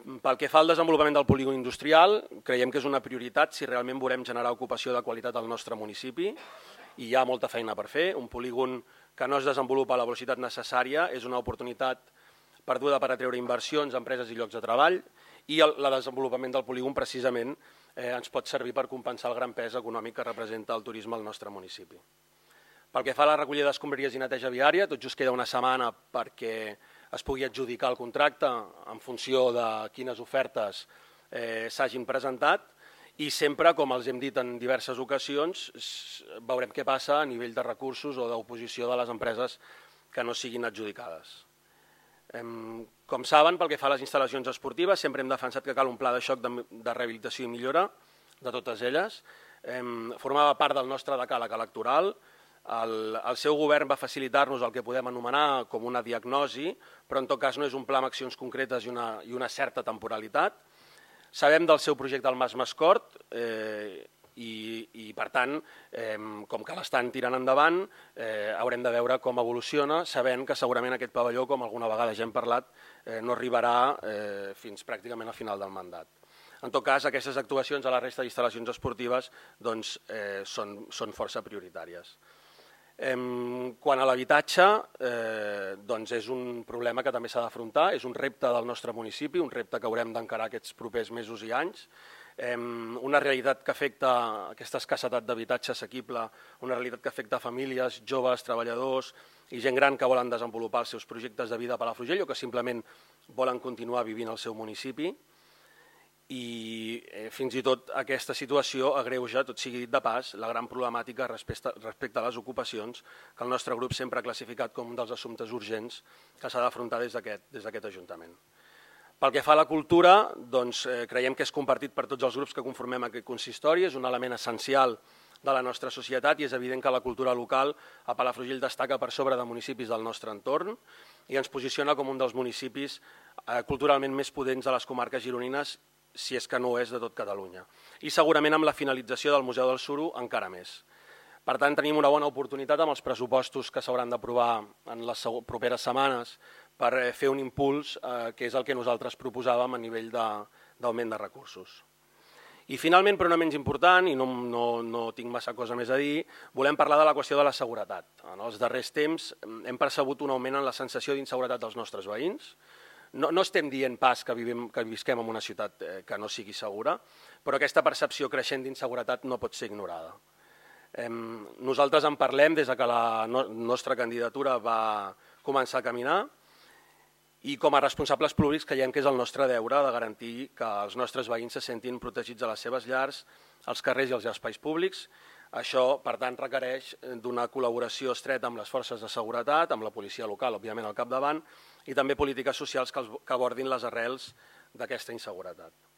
Pel que fa al desenvolupament del polígon industrial, creiem que és una prioritat si realment volem generar ocupació de qualitat al nostre municipi i hi ha molta feina per fer. Un polígon que no es desenvolupa a la velocitat necessària és una oportunitat perduda per atreure inversions, empreses i llocs de treball, i el desenvolupament del polígon precisament ens pot servir per compensar el gran pes econòmic que representa el turisme al nostre municipi. Pel que fa a la recollida d'escombraries i neteja viària, tot just queda una setmana perquè es pugui adjudicar el contracte en funció de quines ofertes s'hagin presentat i sempre, com els hem dit en diverses ocasions, veurem què passa a nivell de recursos o d'oposició de les empreses que no siguin adjudicades. Com saben, pel que fa a les instal·lacions esportives, sempre hem defensat que cal un pla de xoc de rehabilitació i millora de totes elles. Formava part del nostre decàleg electoral. El seu govern va facilitar-nos el que podem anomenar com una diagnosi, però en tot cas no és un pla amb accions concretes i una certa temporalitat. Sabem del seu projecte al Mas Mascort i per tant, com que l'estan tirant endavant, haurem de veure com evoluciona, sabent que segurament aquest pavelló, com alguna vegada ja hem parlat, no arribarà fins pràcticament al final del mandat. En tot cas, aquestes actuacions a la resta d'instal·lacions esportives són força prioritàries. Quant a l'habitatge, és un problema que també s'ha d'afrontar, és un repte del nostre municipi, un repte que haurem d'encarar aquests propers mesos i anys, una realitat que afecta aquesta escassetat d'habitatge assequible, una realitat que afecta famílies, joves, treballadors i gent gran que volen desenvolupar els seus projectes de vida a Palafrugell o que simplement volen continuar vivint al seu municipi. I fins i tot aquesta situació agreuja, tot sigui dit de pas, la gran problemàtica respecte a les ocupacions que el nostre grup sempre ha classificat com un dels assumptes urgents que s'ha d'afrontar des d'aquest Ajuntament. Pel que fa a la cultura, creiem que és compartit per tots els grups que conformem aquest consistori, és un element essencial de la nostra societat i és evident que la cultura local a Palafrugell destaca per sobre de municipis del nostre entorn i ens posiciona com un dels municipis culturalment més potents de les comarques gironines, si és que no ho és de tot Catalunya. I segurament amb la finalització del Museu del Suro encara més. Per tant, tenim una bona oportunitat amb els pressupostos que s'hauran d'aprovar en les properes setmanes per fer un impuls, que és el que nosaltres proposàvem a nivell d'augment de recursos. I finalment, però no menys important, i no tinc massa cosa més a dir, volem parlar de la qüestió de la seguretat. En els darrers temps hem percebut un augment en la sensació d'inseguretat dels nostres veïns. No estem dient pas que visquem en una ciutat que no sigui segura, però aquesta percepció creixent d'inseguretat no pot ser ignorada. Nosaltres en parlem des que la nostra candidatura va començar a caminar i com a responsables públics creiem que és el nostre deure de garantir que els nostres veïns se sentin protegits a les seves llars, als carrers i als espais públics. Això, per tant, requereix d'una col·laboració estreta amb les forces de seguretat, amb la policia local, òbviament al capdavant, i també polítiques socials que abordin les arrels d'aquesta inseguretat.